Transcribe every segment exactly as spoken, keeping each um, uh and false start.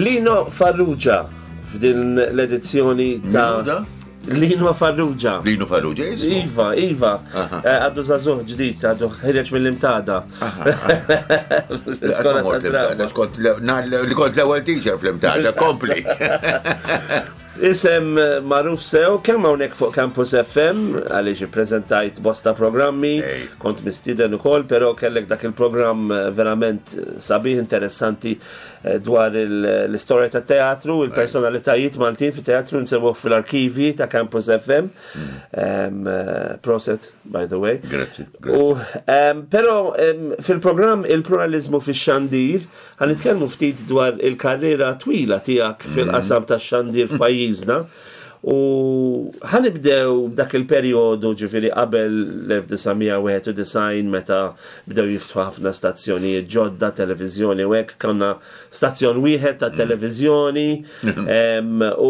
Lino Farrugia f'din l-edizzjoni ta' Min hu da? Lino Farrugia. Lino Farrugia jismu. Iva, Iva, Aha. Eh, għadu żagħżugħ ġdid, għadu ħiereġ mill-Imtada. L-iskola Mort tad-drama. l-Imtada, kont l- na- li kont l-ewwel teacher fl-Imtada, kompli. Isem eh, magħruf sew, kemm hawnhekk fuq Campus F M, għaliex ippreżentajt bosta programmi, Ej. kont mistieden ukoll, però kellek dak il-programm eh, verament sabiħ, interessanti eh, dwar il- l-istorja tat teatru, il-personalitajiet Maltin fit teatru nsemmuh fil-arkivi ta' Campus F M. Em, eh, Prosit, by the way. Grazzi, grazzi. U, em, però em, fil-programm Il-Pluralizmu fix-Xandir ħa nitkellmu ftit dwar il-karriera twila tiegħek fil-qasam tax-xandir f'pajjiżna. U ħa nibdew dak il-perjodu, ġifieri qabel l-elf disa' mija wieħed u disgħin, meta bdew jiftħu ħafna stazzjonijiet ġodda, televiżjoni u hekk, kellna stazzjon wieħed ta' televiżjoni em, u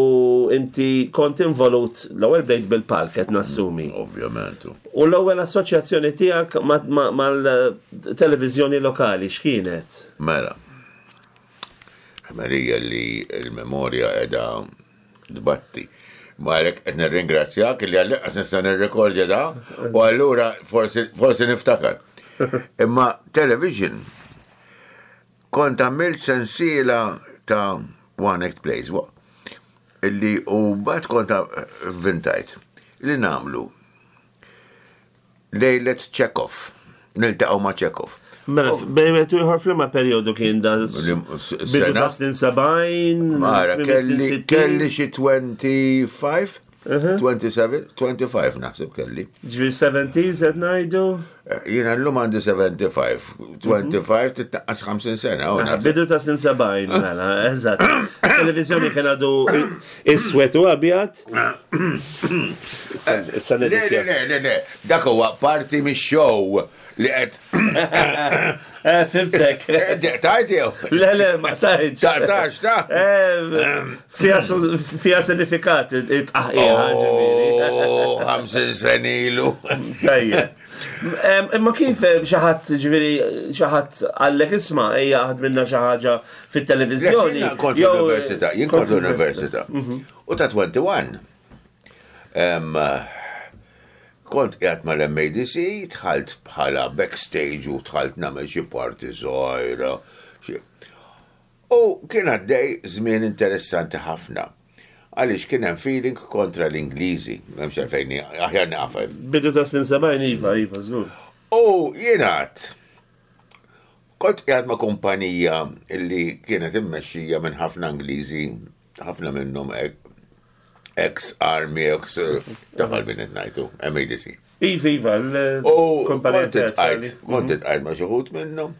inti kont involut, l-ewwel bdejt bil-palk, qed nassumi. Ovvjament. U l-ewwel assoċjazzjoni tiegħek mal-televiżjoni lokali x'kienet? Mela. Marija li l-memorja edha dbatti. Ma għalek qed nirringrazzjak li għall-inqas nista' nirrekordja da u allura forsi forsi niftakar. Imma television kont għamilt sensiela ta' one act plays wa- illi u bat kont vintajt li nagħmlu lejlet Chekhov. Niltaqgħu ma' Chekhov. Mela, bejn wieħed u ieħor f'liema perjodu kien da? Lim- Bidu sena? ta' snin sebgħin, Mara, tmiem snin kelli, sittin? kelli xi twenty-five, twenty-seven, twenty-five naħseb kelli. Ġifieri seventies qed ngħidu? Eh, Jiena llum għandi sebgħa u sebgħin, twenty-five titnaqqas ħamsin sena. u naħseb. Bidu ta' snin sebgħin, mela, eżatt. Televizjoni kien għadu iswed u abjad. Issa Le, le, neditja. le, le, le, dak huwa parti mix-show li qed Eh, fhimtek. tajt jew. Le, le, ma tajtx. Taqtax, ta' Eh, Fija su- fija sinifikat it-tqaħqija, ġifieri. Oh, ħamsin sena ilu. Tajjeb. Em, Imma kif eh, xi ħadd, ġifieri, xi ħadd qallek, "Isma', ejja ħad minna xi ħaġa fit-televiżjoni"? Jiena kont jew- l-università, jien kont l-università. U ta' wieħed u għoxrin. Em, Kont qiegħed mal-M A D C, dħalt bħala backstage u dħalt nagħmel xi party żgħira. xi- U kien għaddej żmien interessanti ħafna. Għaliex kien hemm feeling kontra l-Ingliżi, m'hemmx għalfejn aħjar naqaf. Bidu ta' snin sebgħin, iva, iva, żgur. U jiena kont qiegħed ma' kumpanija illi kienet immexxija minn ħafna Ingliżi, ħafna minnhom ex-army, ex taf għal min qed ngħidu, M A D C. Iva, iva, U l-kumpanija kont iltqajt, teatrali. kont iltqajt ma' xi wħud minnhom.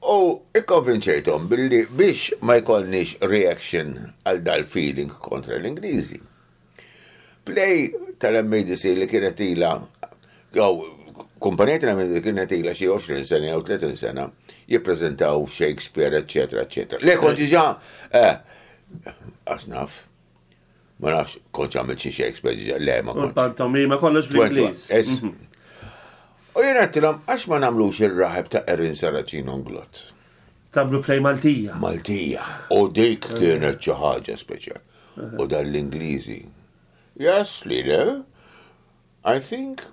U ikkonvinċejthom billi biex ma jkollniex reaction għal dal-feeling kontra l-Ingliżi. Play tal-M A D C li kienet ila, jew kumpanija tal-M A D C kienet ila xi għoxrin sena jew tletin sena jippreżentaw Shakespeare, eccetera, eccetera. Le kont diġà, eh, asnaf, ma nafx, kont għamilt xi Shakespeare diġà, le ma U kontx. Pantomima kollox bl-Ingliż. Es. U jien għedtilhom, għax ma nagħmlux Ir-Raħeb ta' Erin Saracino Englot? Tagħmlu play Maltija. Maltija. U dik kienet xi ħaġa speċjal. U dal-Ingliżi: "Yes, leader, I think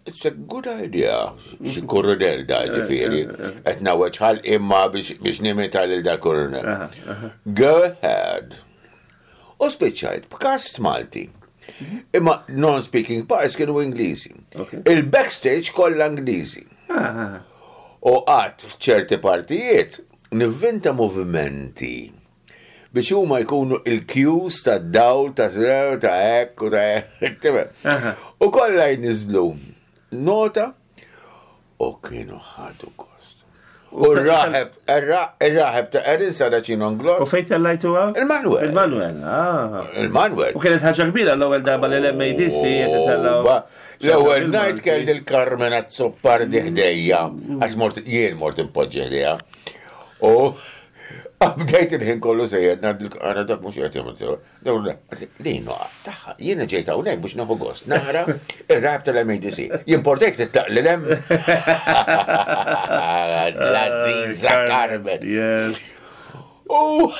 it's a good idea." Xi koronel da, ġifieri. Qed ngħawweġ ħalqi imma biex biex nimita lil dal koronel. "Go ahead." U spiċċajt b'cast Malti. Imma non-speaking parts kienu Ingliżi. Okay. Il-backstage kollha Ingliżi. Ah, U qatt f'ċerti partijiet nivvinta movimenti biex huma jkunu il-cues ta' dawl ta' ta' hekk u ta' hekk. Aha. U kollha jniżlu nota u kienu ħadu gost. U r-raħeb, ir-raħeb ta' Erin Saracino Englot, U fejn tellajtuha? Il-Manuel. Il-Manuel, ah. Il-Manuel. U kienet ħaġa kbira l-ewwel darba li l-M A D C qed itellgħu. Ba, l-ewwel night kelli l-Carmen Azzopardi ħdejja, għax mort jien mort impoġġi ħdejja. U bdejt il-ħin kollu sejjer ngħid, "Ara, dak mhux qed jagħmel sew." Dawn Lino, taħħa, jiena ġejt hawnhekk biex nieħu gost nara ir-rap tal-M A D C. Jimportek titlaq lil hemm. La Ziza Carmen. Yes. U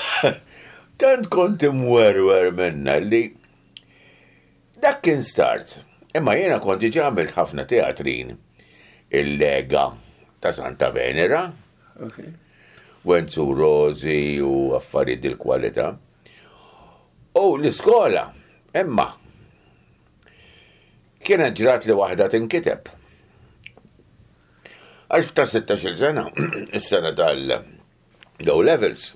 tant kont imwerwer minna li dak kien start. Imma jiena kont diġà għamilt ħafna teatrin, il-Lega ta' Santa Venera, Okay. Wenzu Rosi u affarijiet dil-kwalità. U l-iskola, imma, kienet ġrat li waħda tinkiteb. Għax ta' sittax-il sena, is-sena tal-O levels.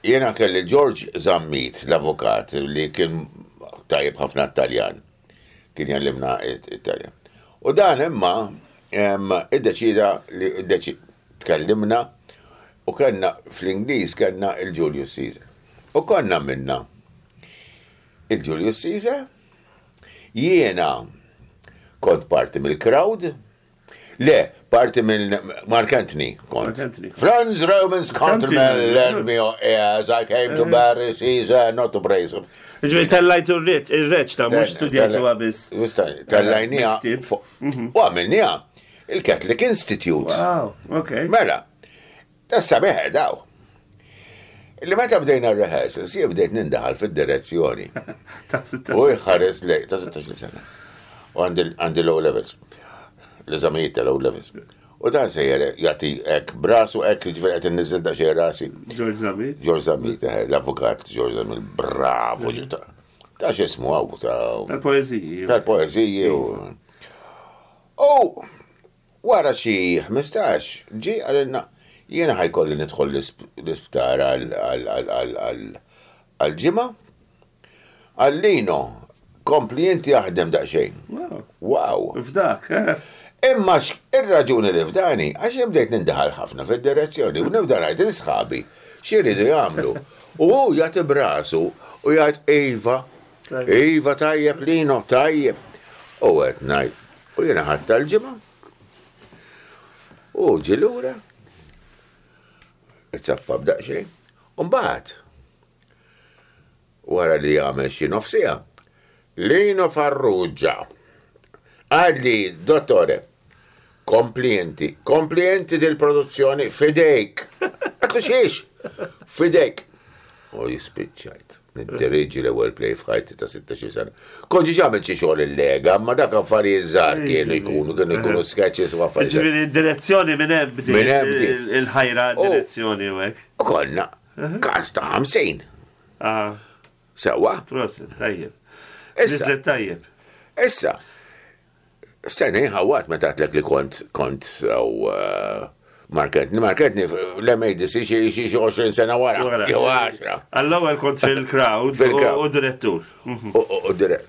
Jena kelli George Zammit, l-avukat, li kien tajjeb ħafna Taljan. Kien jgħallimna Italjan. U dan imma em, iddeċida li iddeċi tkellimna u kellna fl-Ingliż kellna il-Julius Caesar. U konna minna il-Julius Caesar. Jiena kont parti mill-crowd. Le, parti mill Mark Anthony kont. Mark Anthony. Friends, Romans, countrymen, Countrymen. lend me your ears. I came to bury Caesar, not to praise him. Ġifieri tellajtu ir-reċta, mhux studjajtu biss. Tellajnieha. Miktib. U għamilnieha il-Catholic Institute. Wow, okay. Mela, tas-sabiħ daw. Li meta bdejna r-rehearsals, jien bdejt nindaħal fid-direzzjoni. Ta' sitta. U jħares lej, ta' sittax-il sena. U għandi għandi l-O levels. L-eżamijiet tal-O levels. U dan sejjer jagħti hekk b'rasu hekk, ġifieri qed inniżżel daqsxejn rasi. George Zammit. George Zammit, eh, l-avukat George Zammit, bravo, ta' ta' x'ismu għaw, ta' Tal-poeziji. tal-poeziji u. U wara xi ħmistax, ġi għalinna, jiena ħa jkolli nidħol l-isptar għal-ġimgħa. Għallino, kompli inti jaħdem daqsxejn. Wow. Wow. F'dak, eh? Imma ir-raġuni li f'dani, għax jien bdejt nindaħal ħafna fid-direzzjoni u nibda ngħid lil sħabi x'iridu jagħmlu. U hu jagħti b'rasu u jgħid iva, Tajjeb. iva tajjeb Lino, tajjeb. U qed ngħid, u jiena ħadd tal-ġimgħa. U ġi lura. Izzappa b'daqsxejn. U mbagħad wara li jagħmel xi nofsija, Lino Farrugia għadli, dottore, kompli inti, kompli inti dil-produzzjoni f'idejk. Għedtlu xiex, f'idejk. U jispiċċajt. Niddirieġi l-ewwel play f'ħajti ta' sittax-il sena. Kont ġi għamil xi xogħol il-Lega, ma dak affarijiet żgħar kienu jkunu, kienu jkunu sketches u affarijiet. Ġifieri direzzjoni minn hemm bdiet Minn hemm bdiet. il-ħajra Oh. direzzjoni u hekk. U konna cast ta' ħamsin. Ah, Sewwa. prosit, tajjeb. Issa, Nizlet tajjeb. issa. Stenna ħawat meta għedtlek li kont kont u Mark Anthony, Mark Anthony l-M A D C xi xi xi għoxrin sena wara, Wara. jew għaxra. Għall-ewwel kont fil-crowd Fil-crowd. u u direttur. U u- u dire.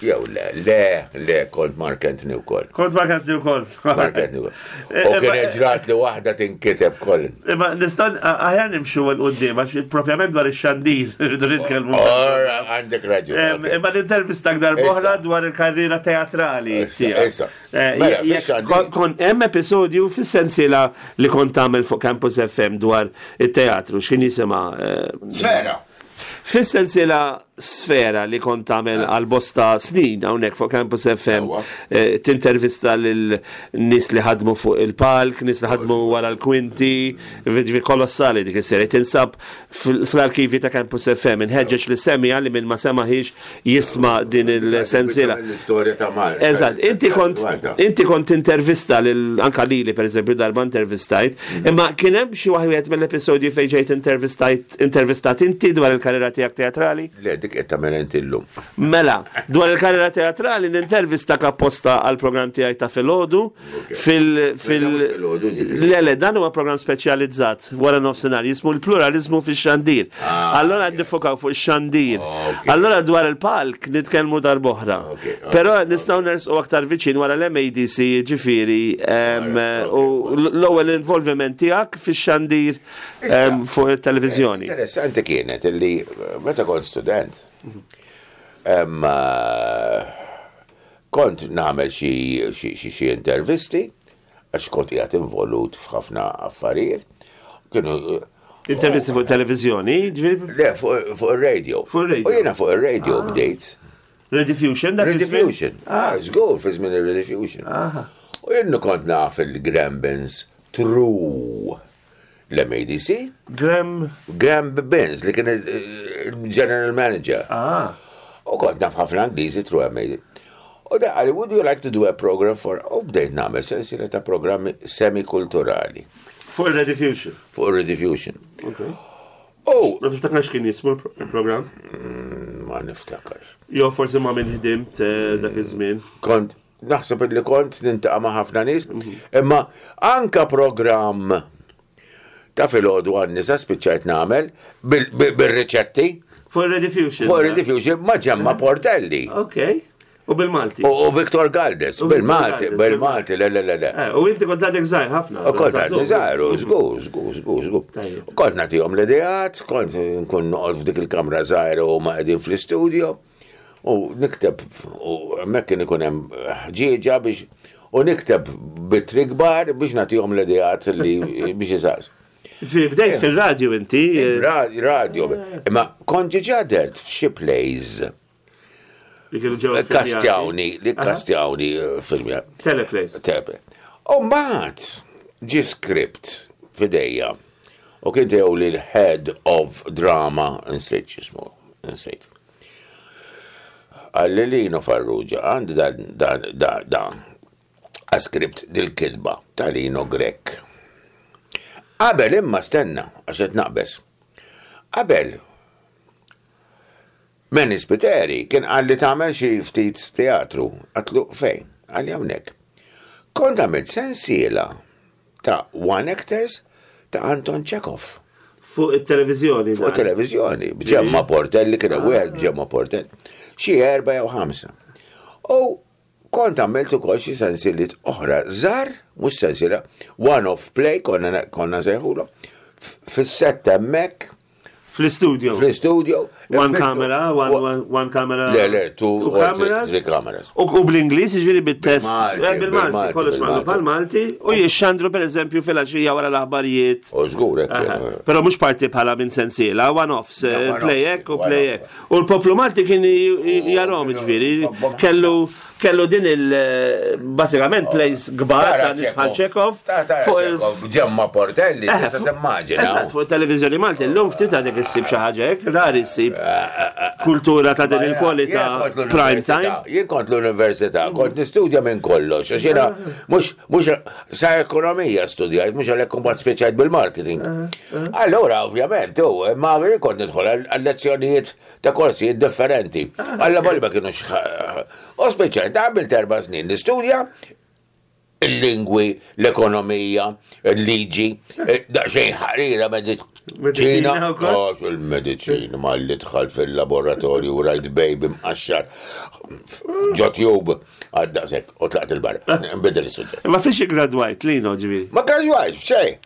Jew le, le, le, kont Mark Anthony wkoll. Kont Mark Anthony wkoll. Mark Anthony wkoll. U kien ġrat li waħda tinkiteb koll. Imma nistgħu aħjar nimxu 'l quddiem għax propjament dwar ix-xandir rridu nitkellmu. Ora, għandek raġun. Em, ok. Imma l-intervista darb'oħra Issa. dwar il-karriera teatrali Issa, tiegħek. issa. Eh, Mela, jekk fix-xandir. kon- Kon hemm episodju fis-sensiela li kont tagħmel fuq Campus F M dwar it-teatru, x'kien jisimha? eh, Sfera. Fis-sensiela Sfera li kont tagħmel għal bosta snin hawnhekk fuq Campus F M, Sewwa. eh, tintervista lil nies li ħadmu fuq il-palk, nies li ħadmu wara l-kwinti, ġifieri kolossali dik is-serje tinsab fil- fl-arkivi ta' Campus F M. Inħeġġeġ li semija li minn ma semaħiex jisma' din il-sensiela. L-istorja ta' Malta. Eżatt, inti kont Malta. inti kont intervista lil anka lili, per eżempju, darba intervistajt, imma kien hemm xi waħed mill-episodji fejn ġejt intervistajt intervistat inti dwar il-karriera tiegħek teatrali? Le, dik qed tagħmel inti llum. Mela, dwar il-karriera teatrali nintervista apposta għal programm tiegħi ta' filgħodu fil fil Filgħodu, ġifieri. Le le, dan huwa programm speċjalizzat wara nofsinhar jismu l-pluralizmu fix-xandir. Ah, Allora yes. nifokaw fuq ix-xandir. Ok. Allora dwar il-palk nitkellmu darb'oħra. Ok, ok, Però nistgħu nersqu aktar viċin wara l-M A D C, ġifieri em, Alright, u l-ewwel involviment tiegħek fix-xandir em, fuq it-televiżjoni. Interessanti kienet illi eh, meta kont student, em, eh, kont nagħmel xi xi- xi xi intervisti għax kont qiegħed involut f'ħafna affarijiet. Kienu eh, Intervisti fuq televiżjoni, ġifieri le, fuq fuq ir-radio. Fuq ir-radio. U jiena fuq ir-radio bdejt. Rediffusion dak iż-żmien? Rediffusion. Ah, żgur fi żmien ir-Rediffusion. Aha. U jien kont naf il-Grambins true L-M A D C. Graham. Graham Binns li kien il-general manager. Ah. U kont naf ħafna Ingliżi through M A D. U da qalli, "Would you like to do a program for?" U bdejt nagħmel sensiela ta' programmi semikulturali. Fuq il-Rediffusion. Fuq il-Rediffusion. Ok. U Ma tiftakarx kien jismu il-program? Ma niftakarx. Jo forsi ma' min ħdimt eh, dak iż-żmien. Kont, naħseb li kont niltaqa' ma' ħafna nies, imma anka program ta' filgħodu għan-nisa spiċċajt nagħmel bil- bil- bil-riċetti Fuq il-Rediffusion. Fuq il-Rediffusion ma' Ġemma Portelli. Ok. U bil-Malti. U u Victor Galdes, U Victor bil-Malti, Galdes, bil-Malti, le, le, le, le. Eh, u inti kont għadek żgħir ħafna. U kont għadni żgħir, żgur, żgur, żgur, żgur. Tajjeb. U kont nagħtihom l-ideat, kont nkun noqgħod f'dik il-kamra żgħira u ma qegħdin fl-istudio u nikteb u hemmhekk kien ikun hemm ħġieġa biex u nikteb b'ittri kbar biex nagħtihom l-ideat li biex jisaqs. Ġifieri bdejt fil-radju inti. eh, Ra- Radio, imma kont ġiġa dert f'xi plays Li kienu ġew filmjati. Kastjawni, li kastjawni filmja. Teleplays. Teleplay. U mbagħad ġi script f'idejja. U kien tiegħu li l-head of drama, insejt x'ismu, insejt. Qalli, "Lino Farrugia, għandi dan dan dan dan a script dil-kitba ta' Lino Grech." Qabel imma stenna, għax qed naqbes. Qabel Manny Spiteri kien qalli, "Tagħmel xi ftit teatru?" Għedtlu, "Fejn?" Qalli, "Hawnhekk." Kont għamilt sensiela ta' one actors ta' Anton Chekhov. Fuq il-televizjoni. Fuq televizjoni, b'Ġemma Portelli, kien wieħed b'Ġemma Portelli. Xi erba' jew ħamsa. U kont għamilt ukoll xi sensiliet oħra żgħar, mhux sensiela, one off play konna konna sejħulhom. Fis-sett hemmhekk. Fl-studio. Fl-studio. One camera, one, one, one camera. Le, le, two two or three, cameras. three cameras. U, u bl-Ingliż, ġifieri bit-test. Bil-Malti, Eh, Bil-Malti, bil-Malti, kollox bil-Malti. bil-Malti. U jixxandru per eżempju fil-għaxija wara l-aħbarijiet. U żgur hekk. Aha. Però mhux parti bħala minn sensiela, one-offs, eh, one-offs, play hekk u one-off. play hekk. U l-poplu Malti kien jarahom ġifieri, kellu kellu din il basikament plays kbar ta' nies bħal Chekhov fuq il Ġemma Portelli, Eh, tista' fuq- timmaġina. Eżatt, fuq televizjoni Malti, llum ftit għadek issib xi ħaġa hekk, rari ssib kultura ta' din il-kwalità Jien kont prime l-università, time. Jien kont l-università, kont nistudja minn kollox, għax jiena mhux mhux sa ekonomija studjajt, mhux għalhekk mbagħad speċjajt bil-marketing. Allora, ovvjament, u ma jien kont nidħol għal lezzjonijiet ta' korsijiet differenti. Alla volja ma kienux. U speċjajt, għamilt erba' snin nistudja il-lingwi, l-ekonomija, il-liġi, eh, daqsxejn ħarira Mediċina mediċina. wkoll? Oh, il-mediċina, ma li dħalt fil-laboratorju, rajt baby mqaxxar, ġo tube, għadda sekk, u tlaqt il-barra. Nbiddel il-suġġett. Ma fiex gradwajt, Lino, ġifieri? Ma gradwajt, xej.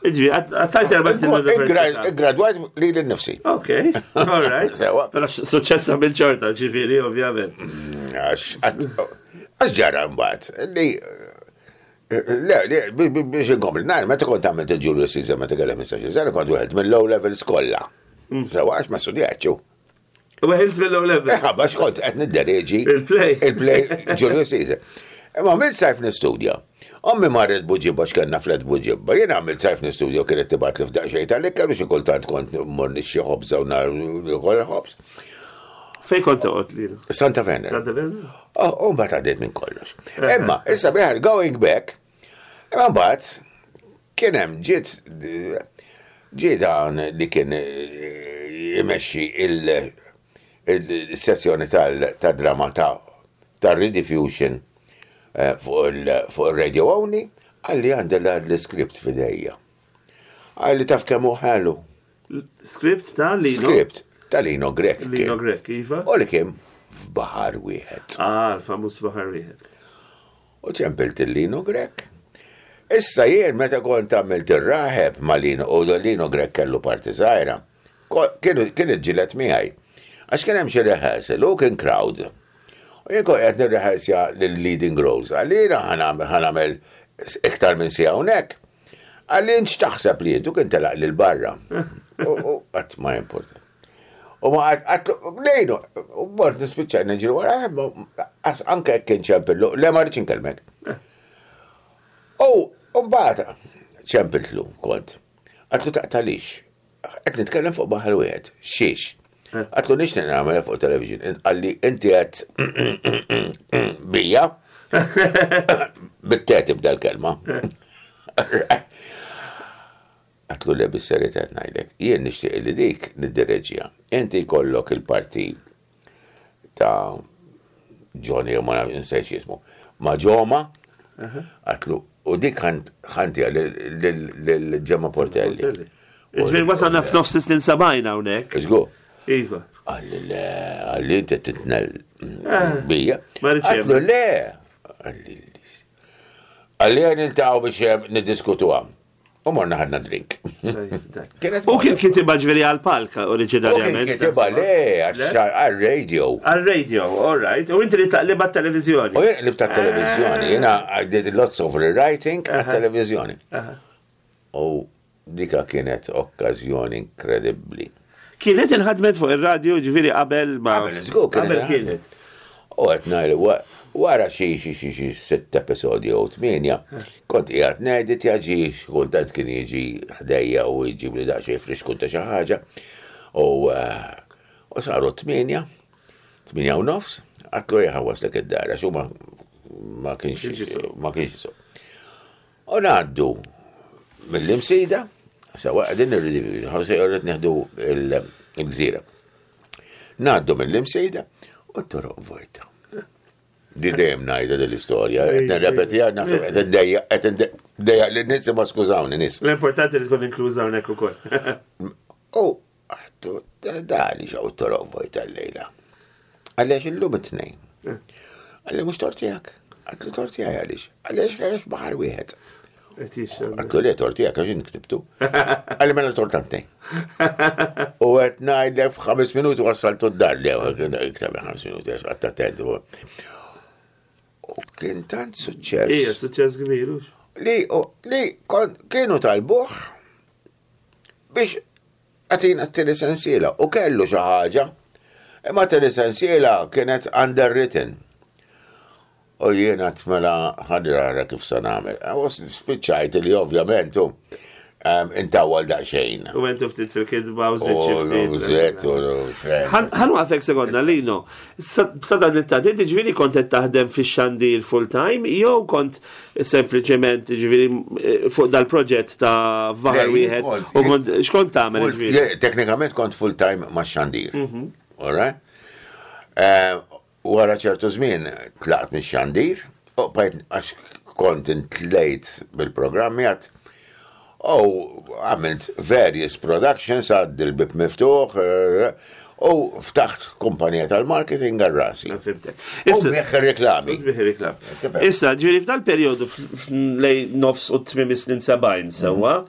Ġifieri, għattajt erba' snin l-università. Gradwajt li l-nifsi. Ok, all right. Sewa. Però suċċessa bil-ċorta, ġifieri, ovvjament. Għax, għax ġara mbagħad li Le, le, bi- bi- biex inkompli, nar, meta kont għamilt il-Julius Caesar meta kellem ħmistax-il sena, kont wieħed mill-O levels kollha. Sewa, għax ma studjatx. U għilt mill-O level. Eh, għax kont qed niddereġi Il-play. Il-play Julius Caesar. Imma għamilt sajf nistudja. Ommi marret Buġibba x'kellna flat Buġibba. Jien għamilt sajf nistudja u kienet tibgħat li f'daqsxejn tal-ikel u xi kultant kont mmur nixxi ħobża u nar ukoll ħobż. Fej kont toqgħod, Lino? Santa Venera. Santa Venera? Oh, u mbagħad għaddiet minn kollox. Imma, issa biħar going back, imma mbagħad kien hemm ġiet ġie dan li kien eh, imexxi il- il-sezzjoni tal-drama ta' tal-Rediffusion eh, fuq il- fuq il-Radio Only, qalli, "Għandi l-script f'idejja." Qalli, "Taf kemm hu ħelu?" Script ta' Lino? Script ta' Lino Grech. Lino kien. Grech, iva. U li kien F'Baħar Wieħed. Ah, l-famuż F'Baħar Wieħed. U ċempilt il-Lino Grech. Issa jien meta kont għamilt ir-raħeb ma' Lino, u Lino Grech kellu parti żgħira, ko- kienu kien iġġieled miegħi. Għax kien hemm xi rehearsal u kien crowd. U jien kont qed nirrehearsja lill-leading roles. Għalina ħa nagħmel iktar minn siegħa hawnhekk. Qalli, "Int x'taħseb li intu?" Kien telaq lil barra. U u qatt ma importa. U ma għedtlu, "Lino," u mort nispiċċa niġri wara, għas anke jekk kien ċempillu, "Le, ma rridx inkellmek." U u mbagħad ċempiltlu kont. Għedtlu taqtalix. Qed nitkellem fuq Baħar Wieħed. Xiex? Għedtlu nixtieq nagħmel fuq television. Qalli inti qed bija. Bit-te tibda l-kelma. Għedtlu le, bis-serjetà ngħidlek. Jien nixtieq li dik niddireġija. Inti jkollok il-parti ta' Johnny, u ma nafx insejt jismu. Ma' Ġoma, għedtlu, u dik ħa ntiha lil Ġemma Portelli. Ġifieri wasalna f'nofs snin sebgħin hawnhekk. Iżgur. Iva. Qalli le, qalli inti titnel bija. Ma rridx Għedtlu le. Qalli qalli ħa niltaqgħu biex niddiskutuha. U morna ħadna drink. Kienet U kien kitibha ġifieri għal-palk U kien oriġinarjament. kitibha le, għal-radio. Għal-radio, all right. U inti li taqlibha televizjoni. U jien qlibt televizjoni, jiena I did lots of rewriting għal-televizjoni. U dika kienet okkazjoni inkredibbli. Kienet inħadmet fuq il-radio ġifieri qabel ma. Qabel, żgur, kienet Qabel kienet. U qed ngħid wara xi xi xi xi sitt episodji jew tmienja, kont qiegħed nedit jaġi kultant kien jiġi ħdejja u jġib li daqsxejn friskun ta' xi ħaġa. U eh, u saru tmienja, tmienja u nofs, għedtlu ejja ħa nwasslek id-dar, għax ma ma kienx ma kienx jisuq. U ngħaddu mill-Imsida, sewa qegħdin irridu, ħose irrid nieħdu il-Gżira. Ngħaddu mill-Imsida u t-toroq vojta. Di dejjem ngħidha dil-istorja, qed nirrepetiha, naħseb qed indejjaq qed indejjaq lin-nies ma skużawni nies. L-importanti li tkun inkluża hawnhekk ukoll. U għedtlu da li xaw t-toroq vojta l-lejla. Għaliex illum it-tnejn. Qalli mhux tort tiegħek. Għedtlu tort tiegħi għaliex. Għaliex għaliex Baħar Wieħed. Għedtlu le tort tiegħek għax ktibtu. Qalli mela tort tantej. U qed ngħidlek f'ħames minuti wassaltu d-dar li iktar minn ħames minuti għax qgħadt attent. U kien tant suċċess. Ija, suċċess kbir. hux? Li, li kon, kienu talbuh biex agħtina t-tieni sensiela u kellu xi ħaġa. Imma t-tieni sensiela kienet underwritten. U jiena mela ħa nara kif sa nagħmel. U spiċċajt li ovvjament u intawwal daqsxejn. U għentu ftit fil-kitba u żidt xi U ftit. żidt u xejn. Ħa nwaqqfek sekonda, Lino. Sa dan it-tant, inti ġifieri kont qed taħdem fix-xandir full time, jew kont sempliċement ġifieri eh, fuq dal-proġett ta' Baħar Le, Wieħed, kont- u kont x'kont tagħmel Full- ġifieri? je- Teknikament kont full time ma' xandir. Alright? Eh, Wara ċertu żmien tlaqt mix xandir, u bqajt għax kont intlejt bil-programmi għat u għamilt various productions għad il-Bieb Miftuħ eh, u ftaħt kumpanija tal-marketing għal rasi. Fhimtek. U Issa, nbigħ reklami. Nbigħ reklam. Tifhem. Issa, ġifieri f'dal periodu f- f- lejn nofs u tmiem is-snin sebgħin sewwa,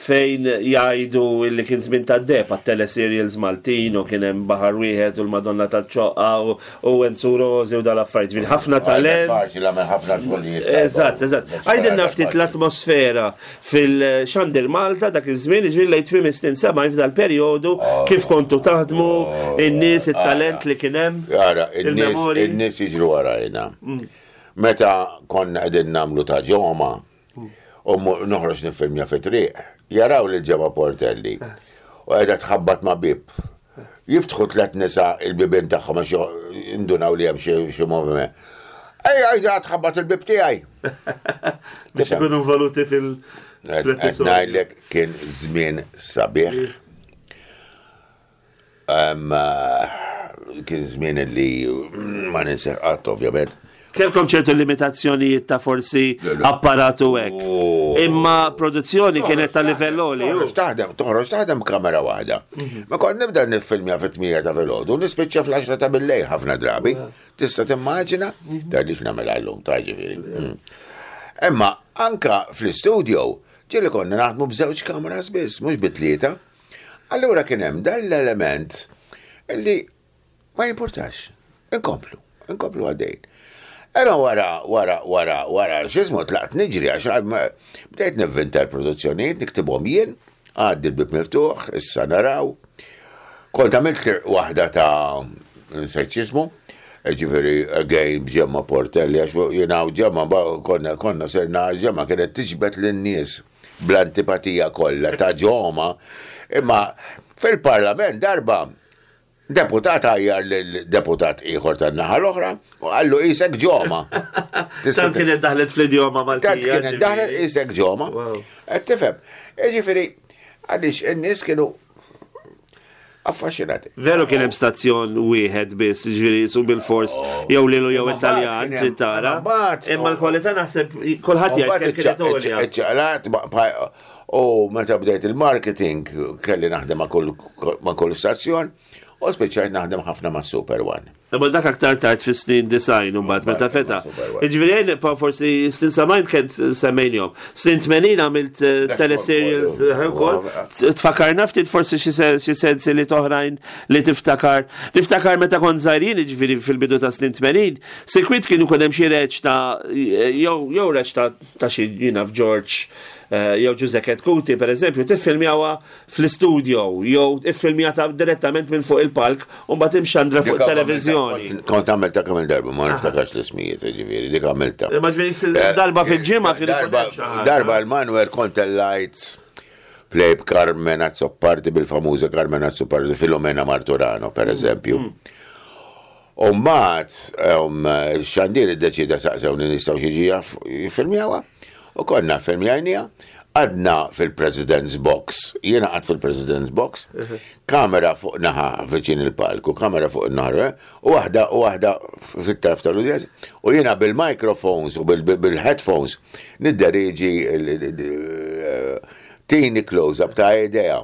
fejn jgħidu illi kien żmien ta' deheb għat-teleserials Maltin u kien hemm Baħar Wieħed u l-Madonna taċ-Ċoqqa u u Enzu Rosi u dal-affarijiet. Ġifieri ħafna talent. Faċli għamel ħafna xogħlijiet. Eżatt, eżatt. Għidilna ftit l-atmosfera fil-Xandir Malta dak iż-żmien, ġifieri lejn tmiem is-snin sebgħin f'dal periodu kif kontu taħdmu, in-nies, it-talent li kien hemm. Ara, in-nies Il-memorji. in-nies jiġru warajna. Meta konna qegħdin nagħmlu ta' Ġoma u mu- noħroġ nifilmja fi triq, jaraw lil Ġemma Portelli u qiegħda tħabbat ma' bib. Jiftħu tlet nisa il-bibien tagħhom għax indunaw li hemm xi xi moviment. Ejja, ejja, tħabbat il-bib tiegħi. Biex ikunu involuti fil- Qed fl-episodju. ngħidlek kien żmien sabiħ. Em, eh, Kien żmien li ma ninseħ qatt ovvjament. Kellkom ċertu limitazzjonijiet ta' forsi Le, le. apparatu hekk. Oh. Imma produzzjoni kienet ta' livell għoli. Toħroġ taħdem, toħroġ taħdem kamera waħda. Ma kont nibda nifilmja fit-tmienja ta' filgħodu, nispiċċa fl-għaxra ta' bil-lejl ħafna drabi. Tista' timmaġina, tgħidlix nagħmel għallum, ta' ġifieri. Mm. Imma anka fl-istudio, ġieli konna naħdmu b'żewġ kameras biss, mhux bi tlieta. Allura kien hemm dan l-element illi ma jimportax. Inkomplu, inkomplu għaddejn. Imma wara, wara, wara, wara, x'jismu tlaqt niġri għax ma- bdejt nivvinta l-produzzjonijiet, niktibhom jien, għaddi l-Bieb Miftuħ, issa naraw. Kont għamilt waħda ta' nsejt x'jismu, ġifieri, again, b'Ġemma Portelli, għax jiena u Ġemma, ba- konna, konna serna Ġemma kienet tiġbed lin-nies. bl-antipatija kollha ta' ġoma, imma fil-parlament darba deputat għajjar l-deputat ieħor tan-naħa l-oħra u qallu qisek ġoma. Tant kienet daħlet fl-idjoma Maltija. Tant kienet daħlet qisek ġoma. Qed tifhem. Jiġifieri għaliex in-nies kienu affaxxinati. Veru kien hemm stazzjon wieħed biss, ġifieri su bil-fors jew lilu jew Italjan trid tara. Imma l-kwalità naħseb kulħadd jgħid kienet għolja. Iċċaqlat u meta bdejt il-marketing kelli naħdem ma' kull stazzjon u spiċċajt naħdem ħafna ma' Super One. Imma dak aktar tard fis-snin design u mbagħad meta feta. Jiġifieri jien pa forsi snin sebgħin kent semmejnihom. Snin tmenin għamilt teleserials ukoll. Tfakarna ftit forsi xi sensi li toħrajn li tiftakar. Niftakar meta kont żgħirin, jiġifieri fil-bidu ta' snin tmenin, sikwit kienu kien hemm xi reġ ta' jew jew reġ ta' xi jiena f'George jew Ġużè Chetcuti per eżempju, tiffilmjawha fl-istudio jew iffilmjata direttament minn fuq il-palk u mbagħad imxandra fuq televiżjoni. Kont għamilta kemm il-darba, ma niftakarx l-ismijiet, ġifieri, dik għamilta. Ma ġifieri darba fil-ġimgħa kien darba l-Manuel kont il-lights play b'Carmen Azzopardi, bil-famuża Carmen Azzopardi, Filomena Marturano, per eżempju. U mbagħad xandir iddeċida saqsewni nistgħu xi ġija jiffilmjawha. U konna filmjajnija, għadna fil-President's Box, jiena għad fil-President's Box, kamera fuq naħa viċin il-palku, kamera fuq il-naħra, u waħda u waħda fit-tarf tal-udjenza, u jiena bil-microphones u bil-headphones nidderieġi tini close-up ta' idea.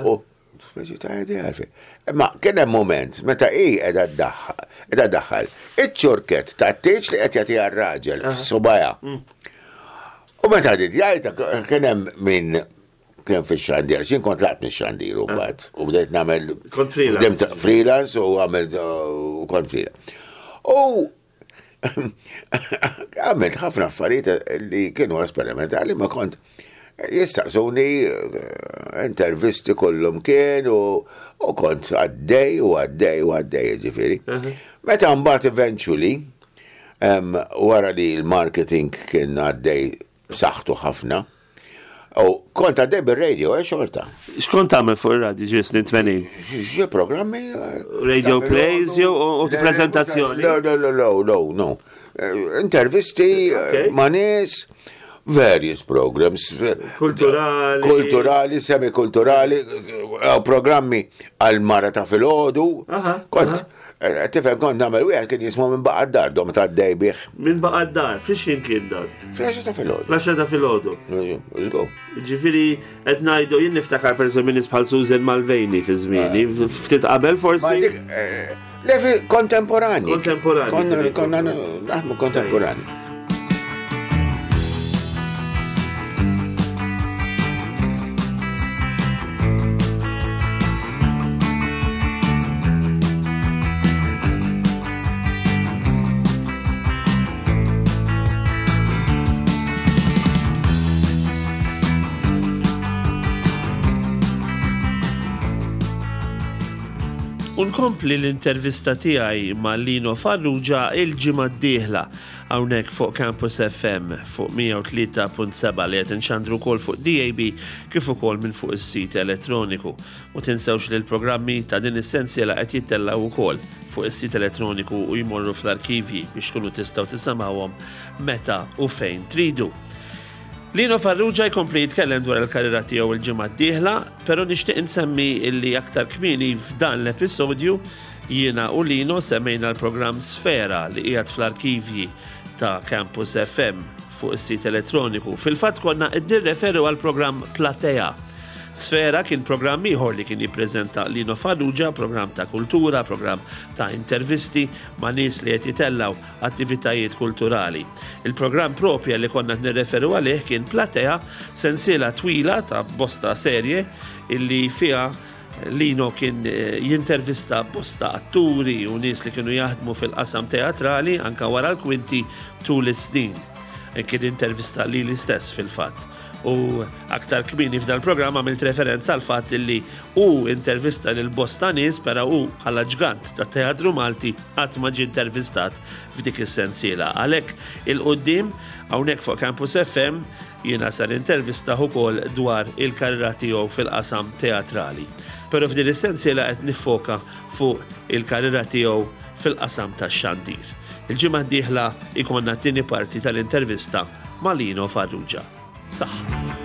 U speċi ta' idea għalfejn. Ma kien hemm moment meta hi qiegħda ddaħħal, qiegħda ddaħħal iċ-ċurket ta' tieġ li qed jagħtiha r-raġel f'subajha. U meta għadit jgħajta, kien hemm min kien fix-xandir, x'jien kont laqt mix-xandir u mbagħad u bdejt nagħmel Kont freelance. Freelance u għamilt u kont freelance. U għamilt ħafna affarijiet li kienu esperimentali, ma kont jistaqsuni intervisti kollhom kien u kont għaddej u għaddej u għaddej ġifieri. Meta mbagħad eventually wara li l-marketing kien għaddej b'saħħtu ħafna. U kont għaddej bil-radio, eh, xorta. X'kont tagħmel fuq ir-radio ġi snin tmenin? Xi programmi? Radio plays jew u prezentazzjoni? No, no, no, no, no, no. Intervisti ma' nies, various programs. Kulturali. Kulturali, semikulturali, programmi għal-mara ta' filgħodu. Kont tifhem kont nagħmel wieħed kien jismu minn baqa' d-dar, dom ta' dej bih. Minn baqa' d-dar, fiex kien dan? Fl-għaxra ta' filgħodu. Fl-għaxra ta' filgħodu. Let's go. Ġifieri qed ngħidu jien niftakar pereżempju nies bħal Susan Malvejni fi żmieni, ftit qabel forsi. Le kontemporani. Kontemporani. Konna naħdmu kontemporani. Unkompli l-intervista tiegħi ma' Lino Farrugia il-ġimgħa d-dieħla hawnhekk fuq Campus F M fuq mija u tlieta punt seba' li qed inxandru wkoll fuq D A B kif ukoll minn fuq is-sit elettroniku. U tinsewx li l-programmi ta' din is-sensiela qed jittellgħu wkoll fuq is-sit elettroniku u jmorru fl-arkivji biex tkunu tistgħu tisimgħuhom meta u fejn tridu. Lino Farrugia jkompli jitkellem dwar il-karriera tiegħu il-ġimgħa d-dieħla, però nixtieq insemmi illi aktar kmieni f'dan l-episodju jiena u Lino semmejna l-programm Sfera li qiegħed fl-arkivji ta' Campus F M fuq is-sit elettroniku. Fil-fatt konna qed nirreferu għall-programm Platea. Sfera kien programm ieħor li kien jippreżenta Lino Farrugia, programm ta' kultura, programm ta' intervisti ma' nies li qed jitellgħu attivitajiet kulturali. Il-programm propja li konna qed nirreferu għalih kien Platea, sensiela twila ta' bosta serje illi fiha Lino kien jintervista bosta atturi u nies li kienu jaħdmu fil-qasam teatrali anka wara l-kwinti tul is-snin. Kien intervista lili stess fil-fatt. U aktar kmieni f'dal-programm għamilt referenza għal fatt li hu intervista lil bosta nies, però hu bħala ġgant ta' teatru Malti qatt ma ġie intervistat f'dik is-sensiela. Għalhekk 'il quddiem hawnhekk fuq Campus F M jiena sar intervista ukoll dwar il-karriera tiegħu fil-qasam teatrali. Però f'din is-sensiela qed niffoka fuq il-karriera tiegħu fil-qasam tax-xandir. Il-ġimgħa d-dieħla ikonna t-tieni parti tal-intervista ma' Lino Farrugia. Saħħa.